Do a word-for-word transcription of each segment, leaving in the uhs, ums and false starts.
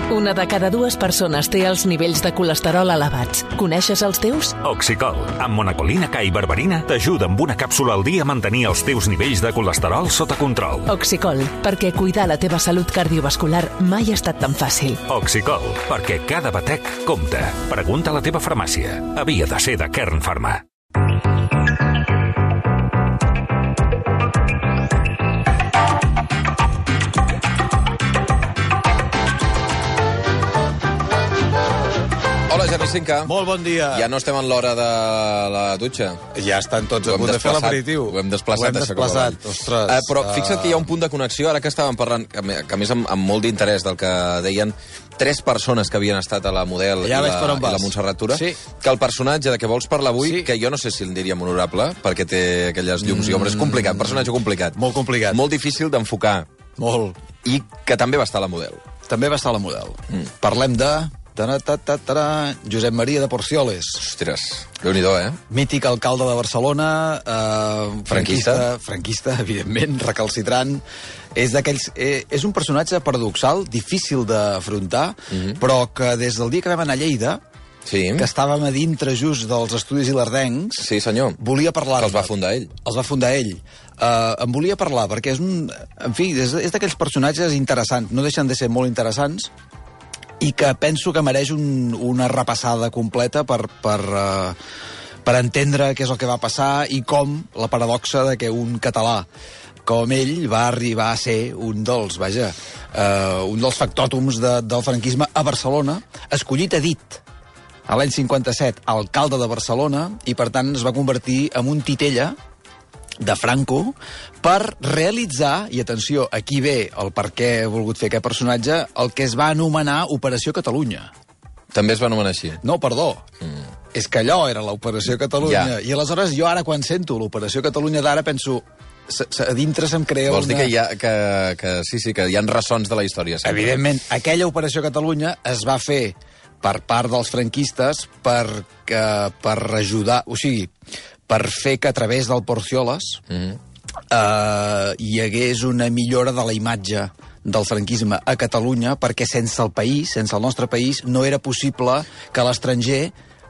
Una de cada dues persones té els nivells de colesterol elevats. Coneixes els teus? Oxicol, amb monacolina K i berberina, t'ajuda amb una càpsula al dia a mantenir els teus nivells de colesterol sota control. Oxicol, perquè cuidar la teva salut cardiovascular mai ha estat tan fàcil. Oxicol, perquè cada batec compta. Pregunta a la teva farmàcia. Havia de ser de Kern Pharma. Hola, Gerri Cinca. Molt bon dia. Ja no estem en l'hora de la dutxa. Ja estan tots a punt de fer l'aperitiu. Ho hem desplaçat. Ho hem desplaçat, ostres. Uh, però fixa't que hi ha un punt de connexió, ara que estàvem parlant, que, que a més amb, amb molt d'interès del que deien tres persones que havien estat a la Model ja i, la, i la Montserrat Tura, sí. que el personatge de què vols parlar avui, sí. que jo no sé si el diríem honorable, perquè té aquelles llums mm. i ombres, complicat, personatge complicat. Molt complicat. Molt difícil d'enfocar. Molt. I que també va estar a la Model. També va estar a la Model. Mm. Parlem de... Josep Maria de Porcioles. Ostres, déu-n'hi-do, eh? Mític alcalde de Barcelona, eh, franquista, franquista, evidentment, recalcitrant. És d'aquells... Eh, és un personatge paradoxal, difícil d'afrontar, mm-hmm. però que des del dia que vam anar a Lleida, sí. que estàvem a dintre just dels estudis ilerdencs, sí, senyor. Volia parlar... Que els va fundar ell. Els va fundar ell. Uh, em volia parlar, perquè és un... En fi, és, és d'aquells personatges interessants, no deixen de ser molt interessants, i que penso que mereix un, una repassada completa per, per, uh, per entendre què és el que va passar i com la paradoxa de que un català com ell va arribar a ser un dels, vaja, uh, un dels factòtums de, del franquisme a Barcelona, escollit a dit a l'any cinquanta-set alcalde de Barcelona, i per tant es va convertir en un titella de Franco per realitzar, i atenció, aquí ve el per què he volgut fer aquest personatge, el que es va anomenar Operació Catalunya. També es va anomenar així? No, perdó. Mm. És que allò era l'Operació Catalunya. Ja. I aleshores jo ara quan sento l'Operació Catalunya d'ara penso... A dintre se'm crea Vols una... dir que, hi ha, que, que sí, sí, que hi ha ressons de la història. Sempre. Evidentment, aquella Operació Catalunya es va fer per part dels franquistes per, que, per ajudar... O sigui, per fer que a través del Porcioles mm-hmm. eh, hi hagués una millora de la imatge del franquisme a Catalunya, perquè sense el país, sense el nostre país, no era possible que a l'estranger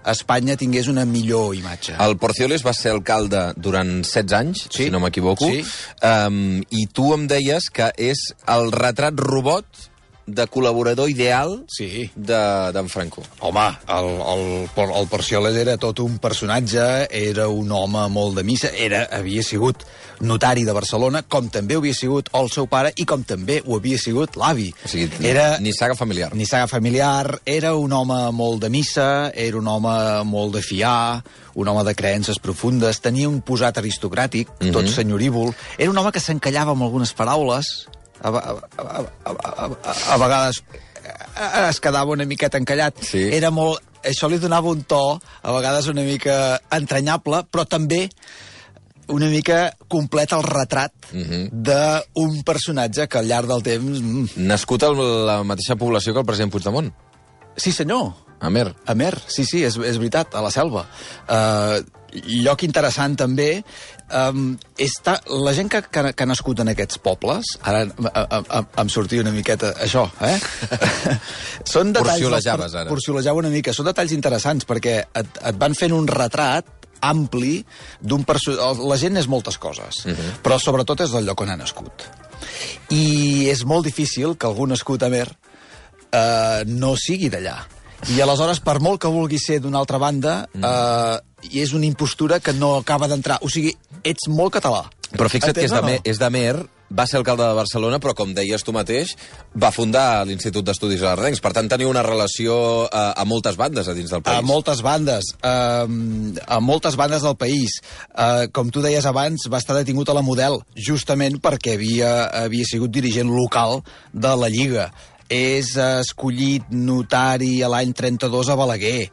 Espanya tingués una millor imatge. El Porcioles va ser alcalde durant setze anys, sí. si no m'equivoco, sí. um, i tu em deies que és el retrat robot de col·laborador ideal sí. d'en Franco. Home, el, el, el Porcioles era tot un personatge, era un home molt de missa, era, havia sigut notari de Barcelona, com també ho havia sigut el seu pare i com també ho havia sigut l'avi. O sigui, era, ni saga familiar. Ni saga familiar, era un home molt de missa, era un home molt de fiar, un home de creences profundes, tenia un posat aristocràtic, mm-hmm. tot senyorívol, era un home que s'encallava amb algunes paraules, A, a, a, a, a, a vegades es quedava una miqueta encallat. Sí. Era molt... Això li donava un to, a vegades una mica entranyable, però també una mica complet el retrat mm-hmm. d'un personatge que al llarg del temps... Mm. Nascut a la mateixa població que el president Puigdemont. Sí, senyor. Amer. Amer, sí, sí, és, és veritat, a la selva. Uh, lloc interessant també, um, és ta, la gent que, que, que ha nascut en aquests pobles, ara a, a, a, em sortia una miqueta això, eh? Són detalls... Porciolejaves, ara. Porciolejava una mica. Són detalls interessants perquè et, et van fent un retrat ampli d'un personatge... La gent és moltes coses, uh-huh. però sobretot és del lloc on ha nascut. I és molt difícil que algú nascut a Amer eh, no sigui d'allà. I aleshores, per molt que vulgui ser d'una altra banda, mm. eh, és una impostura que no acaba d'entrar. O sigui, ets molt català. Però fixa't que és d'Amer, és d'Amer, va ser alcalde de Barcelona, però com deies tu mateix, va fundar l'Institut d'Estudis Ilerdencs. Per tant, tenia una relació a, a moltes bandes a dins del país. A moltes bandes. A, a moltes bandes del país. A, com tu deies abans, va estar detingut a la Model, justament perquè havia, havia sigut dirigent local de la Lliga. És escollit notari a l'any trenta-dos a Balaguer.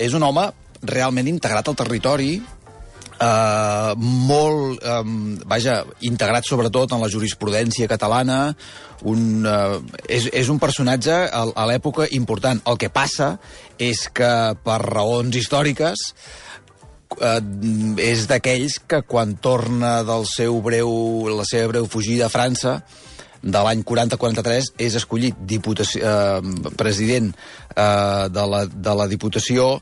És un home realment integrat al territori, eh, molt, eh, vaja, integrat sobretot en la jurisprudència catalana, un, eh, és, és un personatge a, a l'època important. El que passa és que, per raons històriques, eh, és d'aquells que quan torna del seu breu, la seva breu fugida a França, de l'any quaranta quaranta-tres, és escollit diputació, eh, president eh, de, la, de la Diputació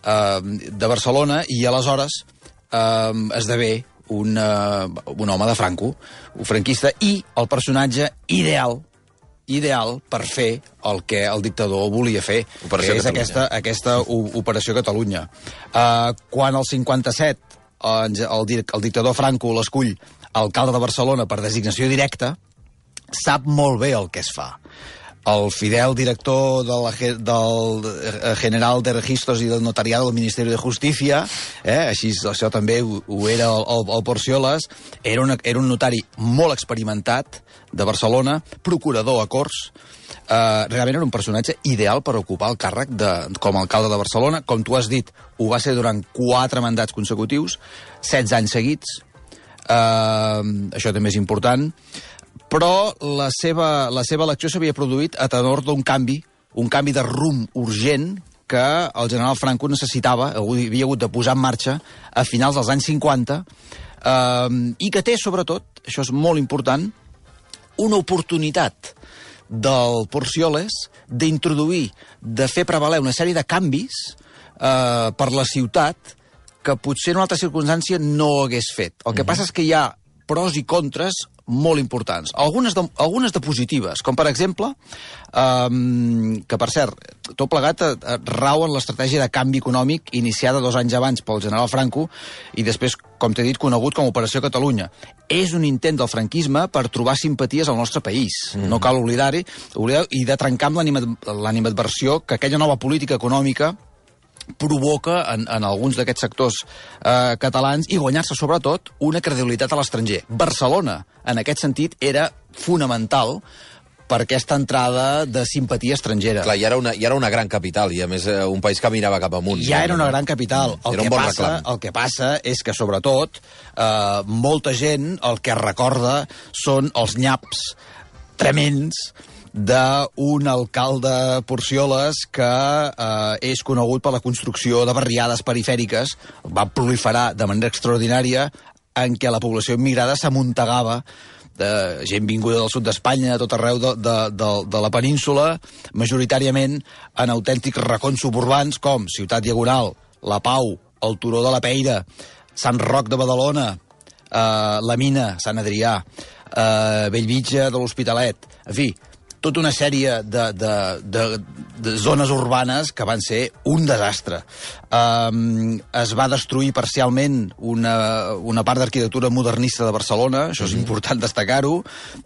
eh, de Barcelona, i aleshores eh, esdevé un, uh, un home de Franco, un franquista, i el personatge ideal ideal per fer el que el dictador volia fer, Operació que és Catalunya. aquesta, aquesta Operació Catalunya. Uh, quan el cinquanta-set el, el, el dictador Franco l'escull alcalde de Barcelona per designació directa, sap molt bé el que es fa. El fidel director de la, del General de Registros i del Notariado del Ministeri de Justícia, eh, així això també ho, ho era el, el, el Porcioles, era, una, era un notari molt experimentat de Barcelona, procurador a Corts, eh, realment era un personatge ideal per ocupar el càrrec de, com a alcalde de Barcelona. Com tu has dit, ho va ser durant quatre mandats consecutius, setze anys seguits, eh, això també és important, però la seva, la seva elecció s'havia produït a tenor d'un canvi, un canvi de rumb urgent que el general Franco necessitava, havia hagut de posar en marxa a finals dels anys cinquanta, eh, i que té, sobretot, això és molt important, una oportunitat del Porcioles d'introduir, de fer prevaler una sèrie de canvis eh, per la ciutat que potser en una altra circumstància no hagués fet. El que mm-hmm. passa és que hi ha pros i contres molt importants. Algunes de, algunes de positives, com per exemple, um, que per cert, tot plegat eh, rau en l'estratègia de canvi econòmic iniciada dos anys abans pel general Franco i després, com t'he dit, conegut com a Operació Catalunya. És un intent del franquisme per trobar simpaties al nostre país. Mm. No cal oblidar-hi, oblidar i de trencar amb l'animadversió que aquella nova política econòmica provoca en, en alguns d'aquests sectors eh, catalans i guanyar-se, sobretot, una credibilitat a l'estranger. Barcelona, en aquest sentit, era fonamental per aquesta entrada de simpatia estrangera. Clar, ja era una, ja era una gran capital, i a més un país que mirava cap amunt. Ja era una gran capital. El, era que, un bon passa, el que passa és que, sobretot, eh, molta gent el que recorda són els nyaps tremends d'un alcalde Porcioles que eh, és conegut per la construcció de barriades perifèriques, va proliferar de manera extraordinària, en què la població immigrada s'amuntegava de gent vinguda del sud d'Espanya, de tot arreu de, de, de, de la península, majoritàriament en autèntics racons suburbans com Ciutat Diagonal, La Pau, el Turó de la Peira, Sant Roc de Badalona, eh, la Mina, Sant Adrià, eh, Bellvitge de l'Hospitalet, en fi, tota una sèrie de, de, de, de zones urbanes que van ser un desastre. Um, es va destruir parcialment una, una part d'arquitectura modernista de Barcelona, això és mm-hmm. important destacar-ho.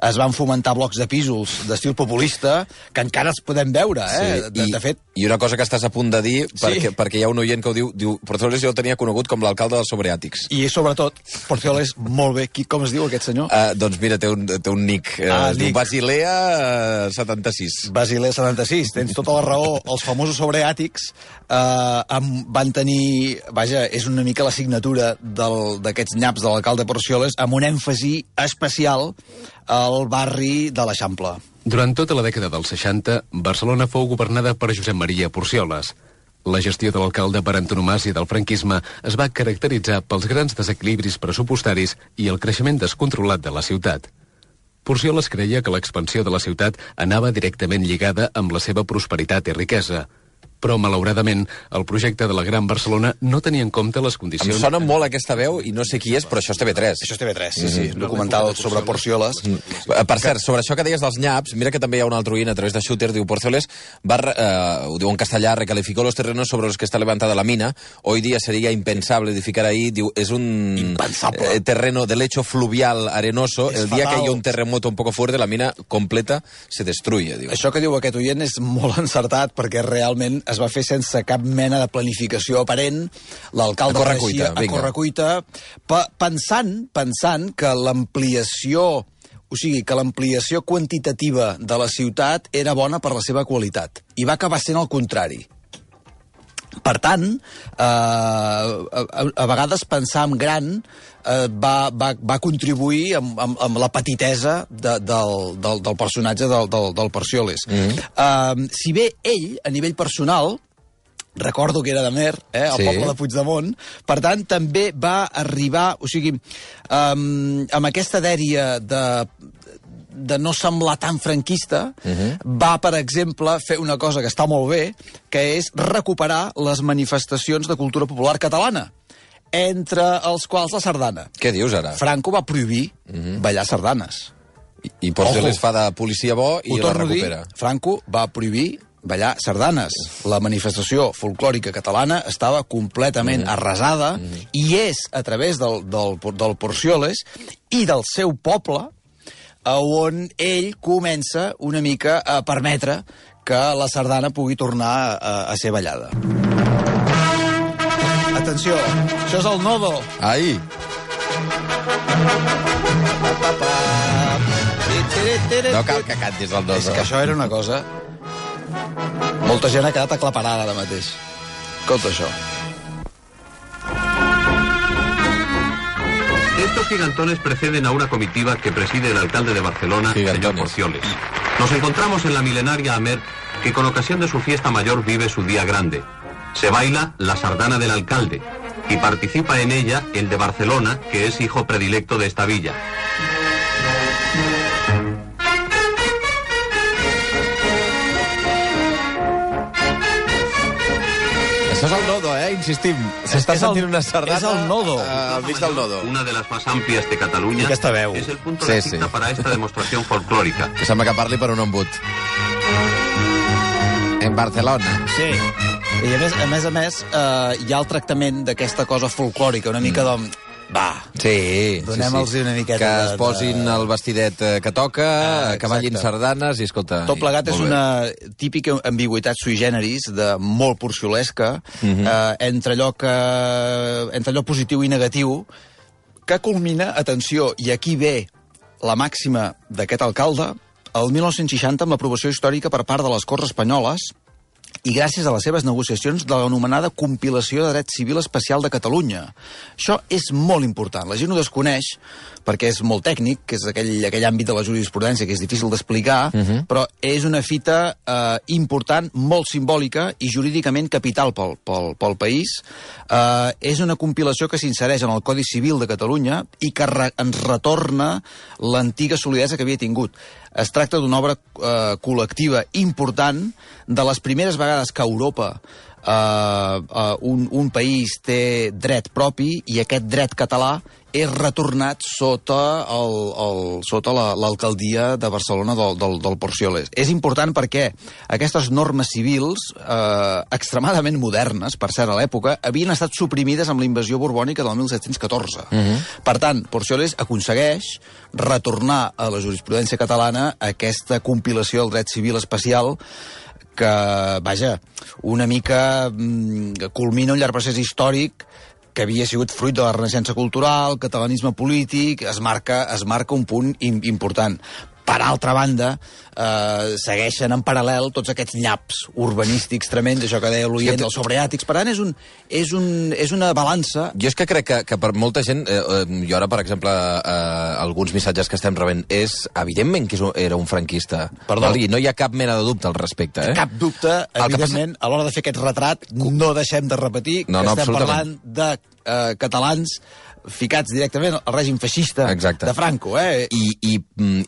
Es van fomentar blocs de pisos d'estil populista, que encara els podem veure, eh? Sí, de, i, de fet... I una cosa que estàs a punt de dir, perquè, sí. perquè hi ha un oient que ho diu, diu Porcioles jo el tenia conegut com l'alcalde dels sobreàtics. I sobretot, Porcioles, molt bé. Qui, com es diu aquest senyor? Uh, doncs mira, té un, té un nick. Uh, ah, es diu Basilea uh, setanta-sis. Basilea setanta-sis, tens tota la raó. Els famosos sobreàtics eh, van tenir... Vaja, és una mica la signatura d'aquests nyaps de l'alcalde Porcioles, amb un èmfasi especial al barri de l'Eixample. Durant tota la dècada dels seixanta, Barcelona fou governada per Josep Maria Porcioles. La gestió de l'alcalde per antonomàsia del franquisme es va caracteritzar pels grans desequilibris pressupostaris i el creixement descontrolat de la ciutat. Porcioles creia que l'expansió de la ciutat anava directament lligada amb la seva prosperitat i riquesa. Però, malauradament, el projecte de la Gran Barcelona no tenia en compte les condicions... Em sona molt aquesta veu i no sé qui és, però això és T V tres. Això és T V tres, sí, sí. Mm-hmm. Documental sobre Porcioles. Mm. Per cert, sobre això que deies dels nyaps, mira que també hi ha un altre oient a través de Shooter, diu Porcioles, va, eh, ho diu en castellà, recalificó los terrenos sobre los que está levantada la mina. Hoy día sería impensable edificar ahí. Diu, es un eh, terreno de lecho fluvial arenoso. És el dia fatal. Que hi ha un terremoto un poco fuerte, la mina completa se destruye. Diu. Això que diu aquest oient és molt encertat, perquè realment es va fer sense cap mena de planificació aparent. L'alcalde reeixia a correcuita, pensant, pensant que l'ampliació, o sigui, que l'ampliació quantitativa de la ciutat era bona per la seva qualitat. I va acabar sent el contrari. Per tant, eh, a, a vegades pensar en gran eh, va, va, va contribuir amb, amb, amb la petitesa de, del, del, del personatge del, del, del Porcioles. Mm-hmm. eh, si bé ell, a nivell personal, recordo que era de Mer, eh, el sí. poble de Puigdemont, per tant, també va arribar, o sigui, um, amb aquesta dèria de de no semblar tan franquista, uh-huh. va, per exemple, fer una cosa que està molt bé, que és recuperar les manifestacions de cultura popular catalana, entre els quals la sardana. Què dius, ara? Franco va prohibir uh-huh. ballar sardanes. I, i Porcioles fa de policia bo i la recupera. Dir, Franco va prohibir ballar sardanes. La manifestació folclòrica catalana estava completament mm. arrasada mm. i és a través del, del, del Porcioles i del seu poble on ell comença una mica a permetre que la sardana pugui tornar a, a ser ballada. Atenció, això és el nodo. Ai! No cal que cantis el nodo. És que això era una cosa... Molta gent ha quedat aclaparada ara mateix. Escolta això. Estos gigantones preceden a una comitiva que preside el alcalde de Barcelona, gigantones. señor Porcioles. Nos encontramos en la milenaria Amer, que con ocasión de su fiesta mayor vive su día grande. Se baila la sardana del alcalde y participa en ella el de Barcelona, que es hijo predilecto de esta villa. Això és el nodo, eh? Insistim. S'està sentint una sardana... És el nodo. Al mig del nodo. Una de las más amplias de Cataluña. Aquesta veu. Es el punto sí, de cita sí. para esta demostración folclórica. Que sembla que parli per un embut. En Barcelona. Sí. I a més a més, a més eh, hi ha el tractament d'aquesta cosa folclòrica, una mica mm. de... Va, sí, donem-los sí, sí. una miqueta que de... es posin el vestidet que toca, ah, que ballin sardanes i escolta... Tot plegat i, és una típica ambigüitat sui generis, de molt porciolesca, uh-huh. eh, entre, allò que, entre allò positiu i negatiu, que culmina, atenció, i aquí ve la màxima d'aquest alcalde, el mil nou-cents seixanta amb l'aprovació històrica per part de les Corts Espanyoles i gràcies a les seves negociacions de l'anomenada Compilació de Dret Civil Especial de Catalunya. Això és molt important. La gent ho desconeix perquè és molt tècnic, que és aquell, aquell àmbit de la jurisprudència que és difícil d'explicar, uh-huh. però és una fita eh, important, molt simbòlica i jurídicament capital pel, pel, pel país. Eh, és una compilació que s'insereix en el Codi Civil de Catalunya i que re, ens retorna l'antiga solidesa que havia tingut. Es tracta d'una obra eh, col·lectiva important, de les primeres vegades que a Europa eh, eh, un, un país té dret propi i aquest dret català és retornat sota, el, el, sota la, l'alcaldia de Barcelona del, del, del Porcioles. És important perquè aquestes normes civils, eh, extremadament modernes, per cert, a l'època, havien estat suprimides amb la invasió borbònica del mil set-cents catorze. Uh-huh. Per tant, Porcioles aconsegueix retornar a la jurisprudència catalana aquesta compilació del dret civil especial que, vaja, una mica mm, culmina un llarg procés històric que havia sigut fruit de la renaixença cultural, catalanisme polític, es marca, es marca un punt important. Per altra banda, eh, segueixen en paral·lel tots aquests nyaps urbanístics tremends, això que deia l'oient, els sobreàtics. Per tant, és, un, és, un, és una balança... Jo és que crec que, que per molta gent, eh, jo ara, per exemple, eh, alguns missatges que estem rebent, és evidentment que és un, era un franquista. Perdó. I no hi ha cap mena de dubte al respecte. Eh? Cap dubte, evidentment, passa... a l'hora de fer aquest retrat, no deixem de repetir no, que no, estem parlant de eh, catalans ficats directament al règim feixista Exacte. De Franco. Eh? I, i,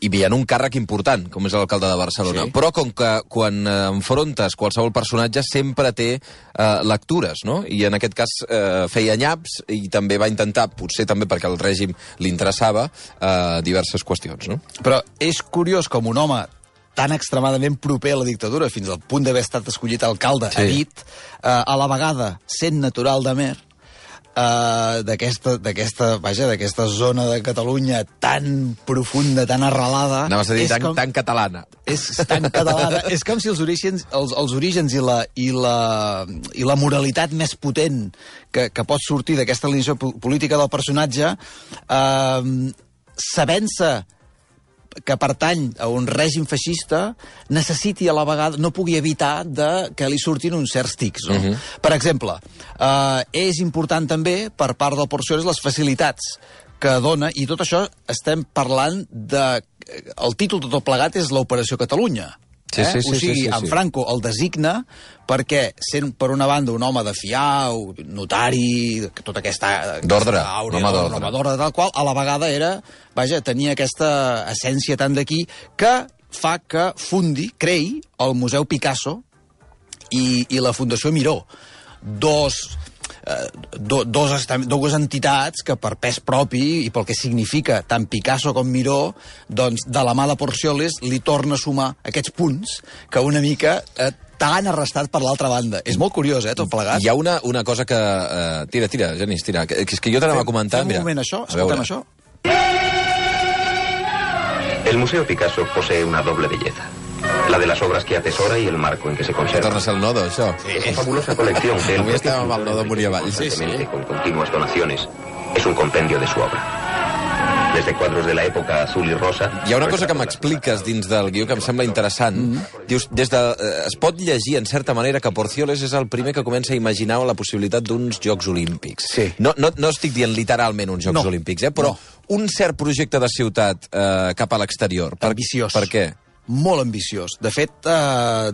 i hi ha un càrrec important, com és l'alcalde de Barcelona. Sí. Però com que quan enfrontes qualsevol personatge sempre té eh, lectures, no? I en aquest cas eh, feia nyaps i també va intentar, potser també perquè el règim li interessava, eh, diverses qüestions. No? Però és curiós com un home tan extremadament proper a la dictadura, fins al punt d'haver estat escollit alcalde, sí. ha dit, eh, a la vegada, sent natural d'Amer, Uh, d'aquesta, d'aquesta, vaja, d'aquesta zona de Catalunya tan profunda, tan arrelada... Anaves a dir tan, com, tan catalana. És tan catalana. És com si els orígens, els, els orígens i, la, i, la, i la moralitat més potent que, que pot sortir d'aquesta alineació política del personatge, uh, sabent-se que pertany a un règim feixista, necessiti a la vegada, no pugui evitar de que li surtin uns certs tics. No? Uh-huh. Per exemple, eh, és important també, per part del Porcioles, les facilitats que dona, i tot això estem parlant de... El títol de tot plegat és l'Operació Catalunya. Sí, sí, sí, o sigui, sí, sí, sí. en Franco el designa perquè, sent per una banda un home de fiar, un notari, tota aquesta... D'ordre, un home d'ordre. home d'ordre, tal qual, a la vegada era, vaja, tenia aquesta essència tan d'aquí que fa que fundi, creï, el Museu Picasso i, i la Fundació Miró. Dos... Eh, do, dos, dues entitats que per pes propi i pel que significa tant Picasso com Miró, doncs de la mà de Porcioles li torna a sumar aquests punts que una mica eh, t'han arrestat per l'altra banda. És molt curiós, eh, tot plegat. Hi ha una, una cosa que... Eh, tira, tira, Genís, tira. Que, que és que jo t'anava a comentar... Fem un mira, moment això, escoltem això. El Museo Picasso posee una doble belleza. La de las obras que atesora y el marco en que se Que conserva. torna a ser el nodo, això. Es una fabulosa colección que él Avui estàvem amb el nodo Muriavall. Sí, sí. con continuas donaciones. Es un compendio de su obra. Desde cuadros de la época azul y rosa... Hi ha una cosa que m'expliques dins del guió que em sembla interessant. Mm-hmm. Dius, des de, eh, es pot llegir, en certa manera, que Porcioles és el primer que comença a imaginar la possibilitat d'uns Jocs Olímpics. Sí. No, no, no estic dient literalment uns Jocs No. Olímpics, eh, però No. un cert projecte de ciutat eh, cap a l'exterior. Per, Ambiciós. Per què? Molt ambiciós. De fet, eh,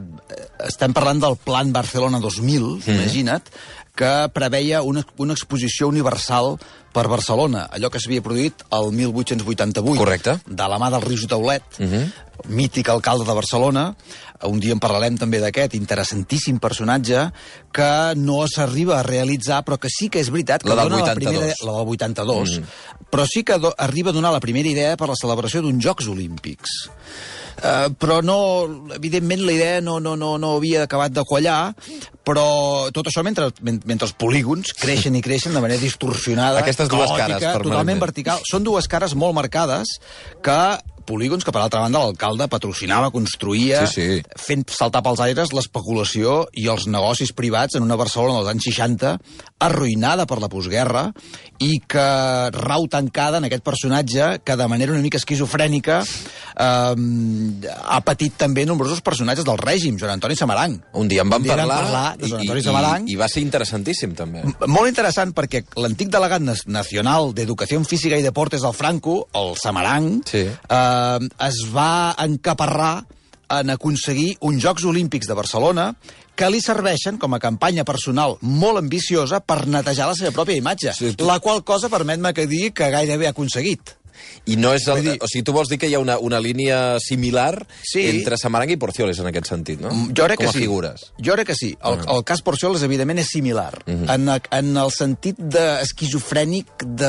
estem parlant del Plan Barcelona dos mil, mm. imagina't, que preveia una, una exposició universal per Barcelona, allò que s'havia produït el mil vuit-cents vuitanta-vuit. Correcte. De la mà del Rius Taulet, Uh -huh. mític alcalde de Barcelona. Un dia en parlarem també d'aquest interessantíssim personatge que no s'arriba a realitzar, però que sí que és veritat que La del dona la vuitanta-dos. primera... La del vuitanta-dos. Mm. Però sí que do, arriba a donar la primera idea per la celebració d'uns Jocs Olímpics. Uh, però no, evidentment la idea no, no, no, no havia acabat de quallar, però tot això mentre, mentre els polígons creixen i creixen de manera distorsionada, Aquestes dues caòtica, cares, permanentment. totalment vertical. Són dues cares molt marcades que polígons que, per altra banda, l'alcalde patrocinava, construïa, Sí, sí. fent saltar pels aires l'especulació i els negocis privats en una Barcelona dels anys seixanta arruïnada per la postguerra i que rau tancada en aquest personatge que de manera una mica esquizofrènica eh, ha patit també nombrosos personatges del règim, Joan Antoni Samaranch. Un dia en vam Un dia vam parlar, parlar de Joan i, Antoni i, Samaranch. i, i va ser interessantíssim, també. Molt interessant, perquè l'antic delegat nacional d'Educació Física i Deportes del Franco, el Samaranch, Sí. eh, es va encaparrar en aconseguir uns Jocs Olímpics de Barcelona que li serveixen com a campanya personal molt ambiciosa per netejar la seva pròpia imatge, Sí, tu- la qual cosa permet-me que digui que gairebé ha aconseguit. I no és el, Vull dir- o sigui, tu vols dir que hi ha una, una línia similar Sí. entre Samaranch i Porcioles en aquest sentit, no? Jo crec Com que a sí. figures. Jo crec que sí. El, el cas Porcioles, evidentment, és similar. Uh -huh. en, en el sentit de esquizofrènic de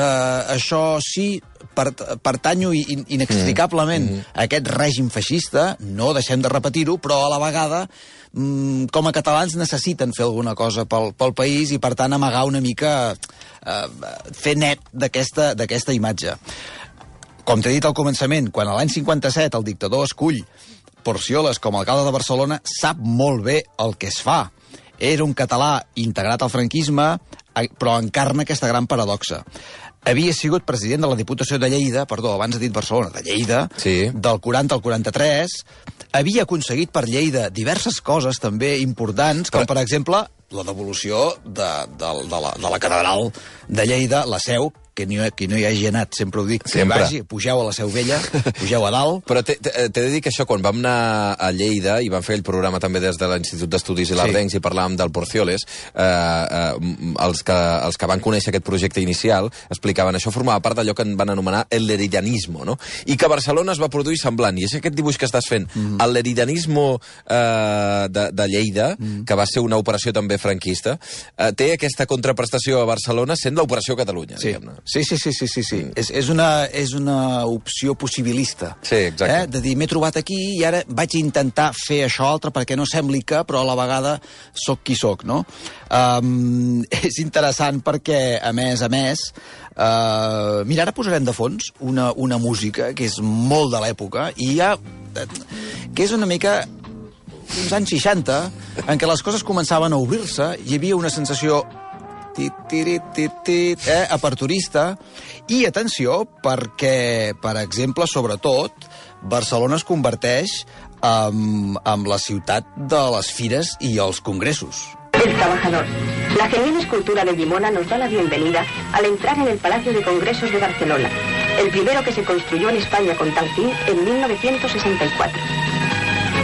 això sí, per, pertanyo in, inextricablement uh -huh. a aquest règim feixista, no deixem de repetir-ho, però a la vegada mm, com a catalans necessiten fer alguna cosa pel, pel país i, per tant, amagar una mica, eh, fer net d'aquesta d'aquesta imatge. Com t'he dit al començament, quan a l'any cinquanta-set el dictador escull Porcioles com a alcalde de Barcelona, sap molt bé el que es fa. Era un català integrat al franquisme, però encarna aquesta gran paradoxa. Havia sigut president de la Diputació de Lleida, perdó, abans he dit Barcelona, de Lleida, Sí. del quaranta al quaranta-tres, havia aconseguit per Lleida diverses coses també importants, com Però- per exemple la devolució de, de, de, la, de la catedral de Lleida, la seu, que no, que no hi hagi anat, sempre ho dic, que Sempre. vagi, pugeu a la Seu Vella, pugeu a dalt. Però t'he t'he de dir que això, quan vam anar a Lleida, i vam fer el programa també des de l'Institut d'Estudis Ilardencs, i parlàvem del Porcioles, eh, eh, els, que, els que van conèixer aquest projecte inicial explicaven això formava part d'allò que en van anomenar el leridanismo, no? I que a Barcelona es va produir semblant. I és aquest dibuix que estàs fent, mm. el leridanismo eh, de, de Lleida, mm. que va ser una operació també franquista, eh, té aquesta contraprestació a Barcelona sent l'operació Catalunya, Sí, diguem-ne. sí, sí, sí, sí, sí, sí. Mm. És, és, una, és una opció possibilista. Sí, exacte. Eh? De dir, m'he trobat aquí i ara vaig intentar fer això altre perquè no sembli que, però a la vegada sóc qui sóc, no? Um, és interessant perquè, a més a més, uh, mira, ara posarem de fons una, una música que és molt de l'època i hi ha... que és una mica uns anys seixanta, en què les coses començaven a obrir-se, hi havia una sensació tit, tirit, tit, tit, eh, aperturista, i atenció, perquè, per exemple, sobretot, Barcelona es converteix en, en la ciutat de les fires i els congressos. El Trabajador. La genial escultura de Guimona nos da la bienvenida al entrar en el Palacio de Congresos de Barcelona, el primero que se construyó en España con tal fin en mil novecientos sesenta y cuatro.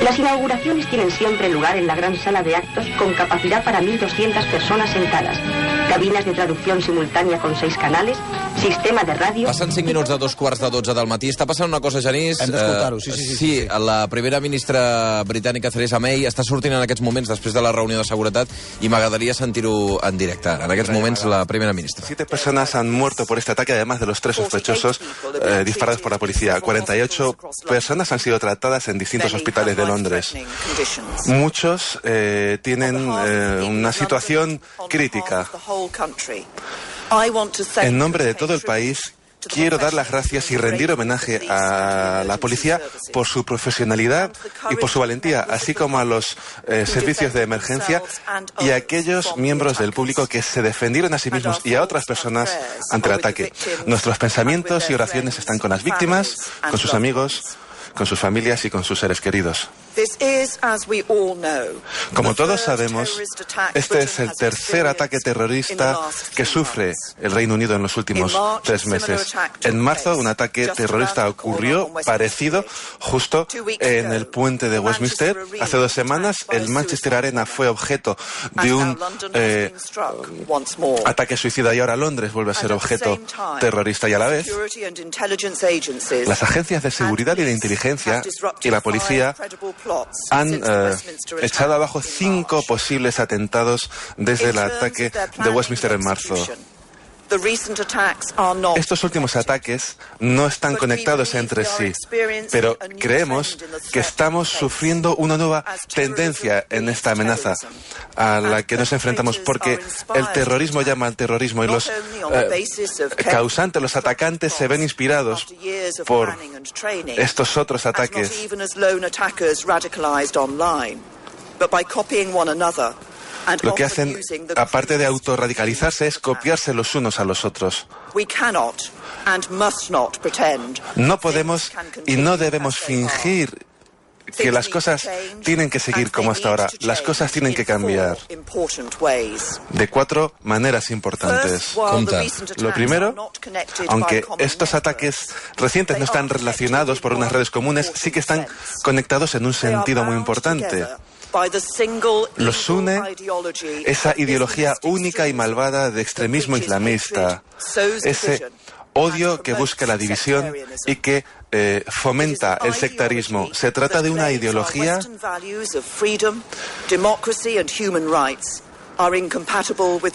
Las inauguraciones tienen siempre lugar en la gran sala de actos con capacidad para mil doscientas personas sentadas. Cabinas de traducción simultánea con seis canales, sistema de ràdio... Passen cinc minuts de dos quarts de dotze del matí. Està passant una cosa, Genís. Hem d'escoltar-ho, sí, sí, sí, sí, sí. La primera ministra britànica, Theresa May, està sortint en aquests moments després de la reunió de seguretat i m'agradaria sentir-ho en directe. En aquests moments, la primera ministra. Siete personas han muerto por este ataque, además de los tres sospechosos eh, disparados por la policía. cuarenta y ocho personas han sido tratadas en distintos hospitales de Londres. Muchos eh, tienen eh, una situación crítica. En nombre de todo el país, quiero dar las gracias y rendir homenaje a la policía por su profesionalidad y por su valentía, así como a los eh, servicios de emergencia y a aquellos miembros del público que se defendieron a sí mismos y a otras personas ante el ataque. Nuestros pensamientos y oraciones están con las víctimas, con sus amigos, con sus familias y con sus seres queridos. Como todos sabemos, este es el tercer ataque terrorista que sufre el Reino Unido en los últimos tres meses. En marzo, un ataque terrorista ocurrió parecido justo en el puente de Westminster. Hace dos semanas, el Manchester Arena fue objeto de un eh, ataque suicida y ahora Londres vuelve a ser objeto terrorista. Y a la vez, las agencias de seguridad y de inteligencia y la policía han eh, echado abajo cinco posibles atentados desde el ataque de Westminster en marzo. Estos últimos ataques no están conectados entre sí, pero creemos que estamos sufriendo una nueva tendencia en esta amenaza a la que nos enfrentamos, porque el terrorismo llama al terrorismo y los eh, causantes, los atacantes, se ven inspirados por estos otros ataques. Lo que hacen, aparte de autorradicalizarse, es copiarse los unos a los otros. No podemos y no debemos fingir que las cosas tienen que seguir como hasta ahora. Las cosas tienen que cambiar de cuatro maneras importantes. Lo primero, aunque estos ataques recientes no están relacionados por unas redes comunes, sí que están conectados en un sentido muy importante. Los une esa ideología única y malvada de extremismo islamista, ese odio que busca la división y que eh, fomenta el sectarismo. Se trata de una ideología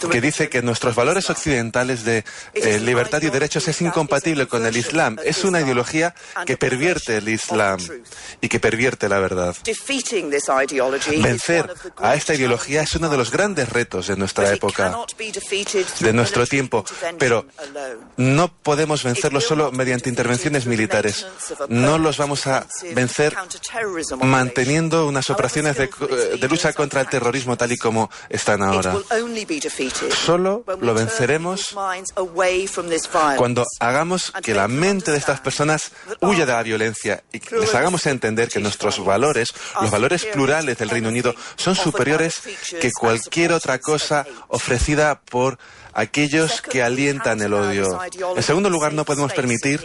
que dice que nuestros valores occidentales de eh, libertad y derechos es incompatible con el Islam. Es una ideología que pervierte el Islam y que pervierte la verdad. Vencer a esta ideología es uno de los grandes retos de nuestra época, de nuestro tiempo, pero no podemos vencerlo solo mediante intervenciones militares. No los vamos a vencer manteniendo unas operaciones de, de lucha contra el terrorismo tal y como están ahora. Ahora. Solo lo venceremos cuando hagamos que la mente de estas personas huya de la violencia y les hagamos entender que nuestros valores, los valores plurales del Reino Unido, son superiores que cualquier otra cosa ofrecida por aquellos que alientan el odio. En segundo lugar, no podemos permitir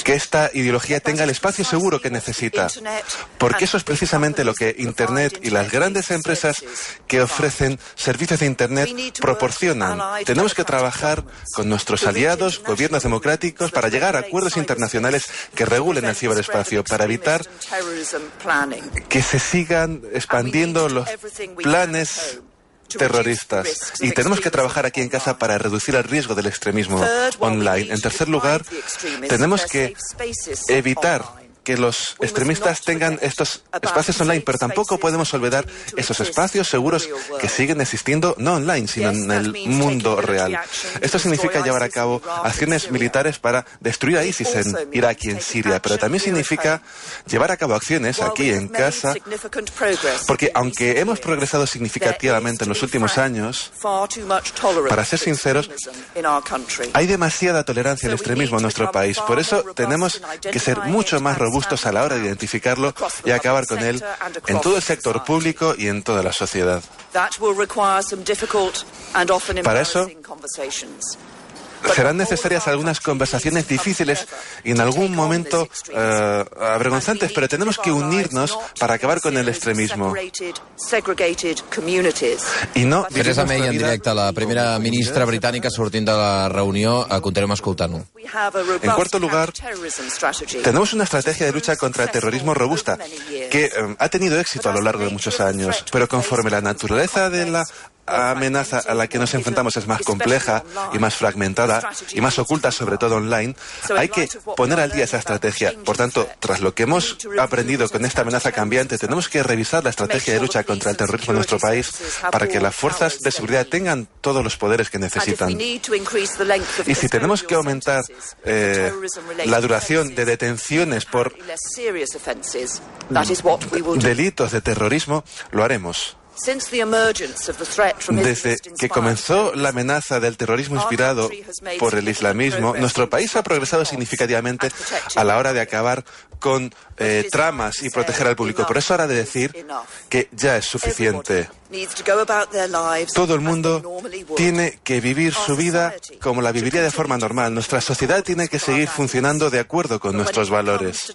que esta ideología tenga el espacio seguro que necesita, porque eso es precisamente lo que Internet y las grandes empresas que ofrecen servicios de Internet proporcionan. Tenemos que trabajar con nuestros aliados, gobiernos democráticos, para llegar a acuerdos internacionales que regulen el ciberespacio, para evitar que se sigan expandiendo los planes terroristas. Y tenemos que trabajar aquí en casa para reducir el riesgo del extremismo online. En tercer lugar, tenemos que evitar que los extremistas tengan estos espacios online, pero tampoco podemos olvidar esos espacios seguros que siguen existiendo, no online, sino en el mundo real. Esto significa llevar a cabo acciones militares para destruir a ISIS en Irak y en Siria, pero también significa llevar a cabo acciones aquí en casa, porque aunque hemos progresado significativamente en los últimos años, para ser sinceros, hay demasiada tolerancia al extremismo en nuestro país. Por eso tenemos que ser mucho más robustos a la hora de identificarlo y acabar con él en todo el sector público y en toda la sociedad. Para eso serán necesarias algunas conversaciones difíciles y en algún momento eh, avergonzantes, pero tenemos que unirnos para acabar con el extremismo. I no Theresa May en directe, la primera ministra britànica sortint de la reunió, continuem escoltant-ho. En cuarto lugar, tenemos una estrategia de lucha contra el terrorismo robusta que eh, ha tenido éxito a lo largo de muchos años, pero conforme la naturaleza de la amenaza a la que nos enfrentamos es más compleja y más fragmentada y más oculta, sobre todo online, hay que poner al día esa estrategia. Por tanto, tras lo que hemos aprendido con esta amenaza cambiante, tenemos que revisar la estrategia de lucha contra el terrorismo en nuestro país para que las fuerzas de seguridad tengan todos los poderes que necesitan. Y si tenemos que aumentar eh, la duración de detenciones por delitos de terrorismo, lo haremos. Desde que comenzó la amenaza del terrorismo inspirado por el islamismo, nuestro país ha progresado significativamente a la hora de acabar con eh, tramas y proteger al público. Por eso hora de decir que ya es suficiente. Todo el mundo tiene que vivir su vida como la viviría de forma normal. Nuestra sociedad tiene que seguir funcionando de acuerdo con nuestros valores.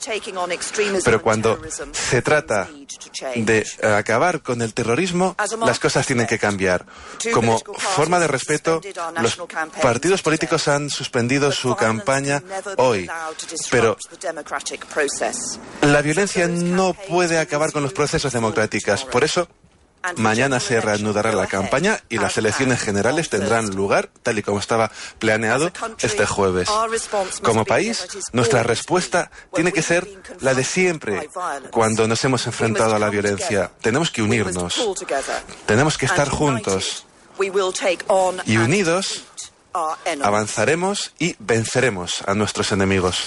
Pero cuando se trata de acabar con el terrorismo, las cosas tienen que cambiar. Como forma de respeto, los partidos políticos han suspendido su campaña hoy. Pero la violencia no puede acabar con los procesos democráticos. Por eso, mañana se reanudará la campaña y las elecciones generales tendrán lugar, tal y como estaba planeado, este jueves. Como país, nuestra respuesta tiene que ser la de siempre cuando nos hemos enfrentado a la violencia. Tenemos que unirnos. Tenemos que estar juntos. Y unidos avanzaremos y venceremos a nuestros enemigos.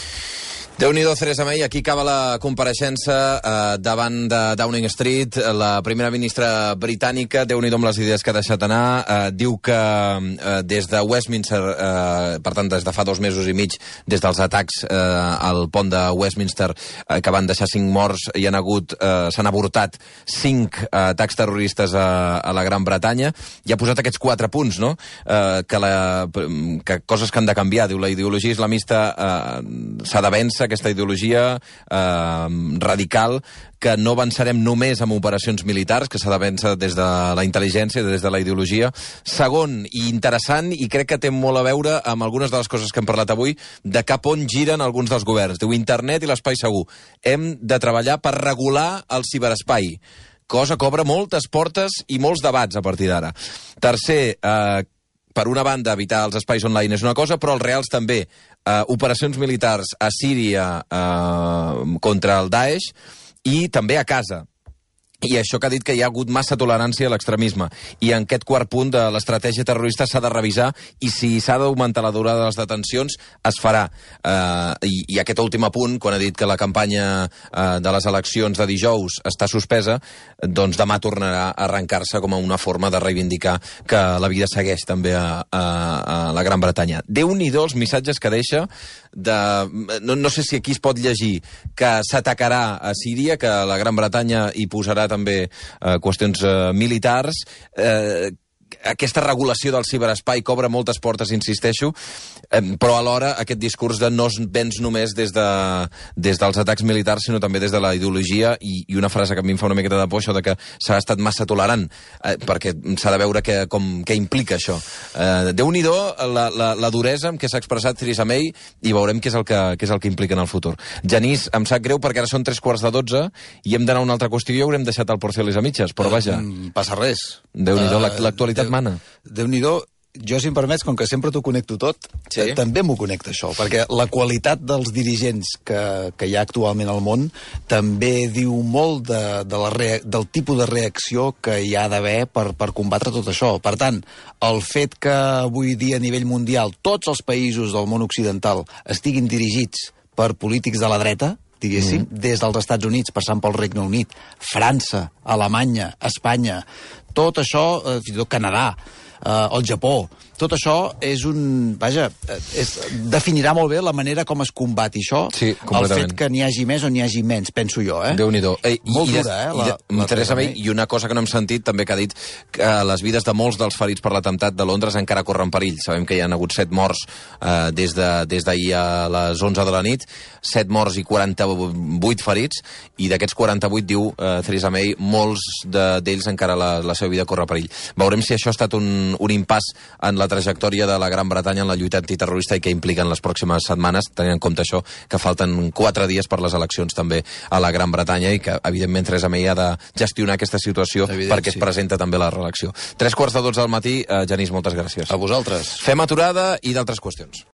Déu-n'hi-do, Theresa May. Aquí acaba la compareixença eh, davant de Downing Street. La primera ministra britànica, Déu-n'hi-do amb les idees que ha deixat anar, eh, diu que eh, des de Westminster, eh, per tant, des de fa dos mesos i mig, des dels atacs eh, al pont de Westminster, eh, que van deixar cinc morts, hi han hagut, eh, s'han avortat cinc eh, atacs terroristes a, a la Gran Bretanya, i ha posat aquests quatre punts, no?, eh, que, la, que coses que han de canviar. Diu, la ideologia islamista eh, s'ha de vèncer, aquesta ideologia eh, radical, que no avançarem només amb operacions militars, que s'ha de vèncer des de la intel·ligència, des de la ideologia. Segon, i interessant, i crec que té molt a veure amb algunes de les coses que hem parlat avui, de cap on giren alguns dels governs. Diu, internet i l'espai segur. Hem de treballar per regular el ciberespai, cosa que obre moltes portes i molts debats a partir d'ara. Tercer, eh, per una banda, evitar els espais online és una cosa, però els reals també. Uh, operacions militars a Síria uh, contra el Daesh i també a casa. I això que ha dit que hi ha hagut massa tolerància a l'extremisme. I en aquest quart punt de l'estratègia terrorista s'ha de revisar i si s'ha d'augmentar la durada de les detencions, es farà. Uh, i, I aquest últim punt, quan ha dit que la campanya uh, de les eleccions de dijous està suspesa, doncs demà tornarà a arrencar-se com a una forma de reivindicar que la vida segueix també a, a, a la Gran Bretanya. Déu-n'hi-do els missatges que deixa de... No, no sé si aquí es pot llegir que s'atacarà a Síria, que la Gran Bretanya hi posarà també eh, qüestions eh, militars, eh, aquesta regulació del ciberespai que obre moltes portes, insisteixo, eh, però alhora aquest discurs de no es vens només des, de, des dels atacs militars, sinó també des de la ideologia, i, i una frase que a mi em fa una miqueta de por, això de que s'ha estat massa tolerant, eh, perquè s'ha de veure que, com, què implica això. Eh, Déu-n'hi-do la, la, la duresa amb què s'ha expressat Theresa May, i veurem què és, el que, què és el que implica en el futur. Genís, em sap greu perquè ara són tres quarts de dotze i hem d'anar a una altra qüestió i haurem deixat el Porcioles a mitges, però vaja. Uh, passa res. Déu-n'hi-do, uh, l'actualitat Déu, mana. Déu-n'hi-do, jo, si em permets, com que sempre t'ho connecto tot, sí? també m'ho connecta això, perquè la qualitat dels dirigents que, que hi ha actualment al món també diu molt de, de la rea, del tipus de reacció que hi ha d'haver per, per combatre tot això. Per tant, el fet que avui dia a nivell mundial tots els països del món occidental estiguin dirigits per polítics de la dreta, diguéssim, mm. des dels Estats Units, passant pel Regne Unit, França, Alemanya, Espanya, tot això, eh, fins i tot Canadà, uh, el Japó. Tot això és un... Vaja, és, definirà molt bé la manera com es combati això, sí, el fet que n'hi hagi més o n'hi hagi menys, penso jo, eh? Déu-n'hi-do. Ei, molt i, dura, eh? La, i, la, Teresa May, i una cosa que no hem sentit, també que ha dit que les vides de molts dels ferits per l'atemptat de Londres encara corren perill. Sabem que hi ha hagut set morts eh, des d'ahir de, a les onze de la nit, set morts i quaranta-vuit ferits, i d'aquests quaranta-vuit, diu eh, Theresa May, molts d'ells de, encara la, la seva vida corre perill. Veurem si això ha estat un, un impàs en la trajectòria de la Gran Bretanya en la lluita antiterrorista i què impliquen les pròximes setmanes, tenint en compte això, que falten quatre dies per les eleccions també a la Gran Bretanya i que, evidentment, Theresa May ha de gestionar aquesta situació Evident, perquè sí. es presenta també la reelecció. Tres quarts de dotze del matí, eh, Genís, moltes gràcies. A vosaltres. Fem aturada i d'altres qüestions.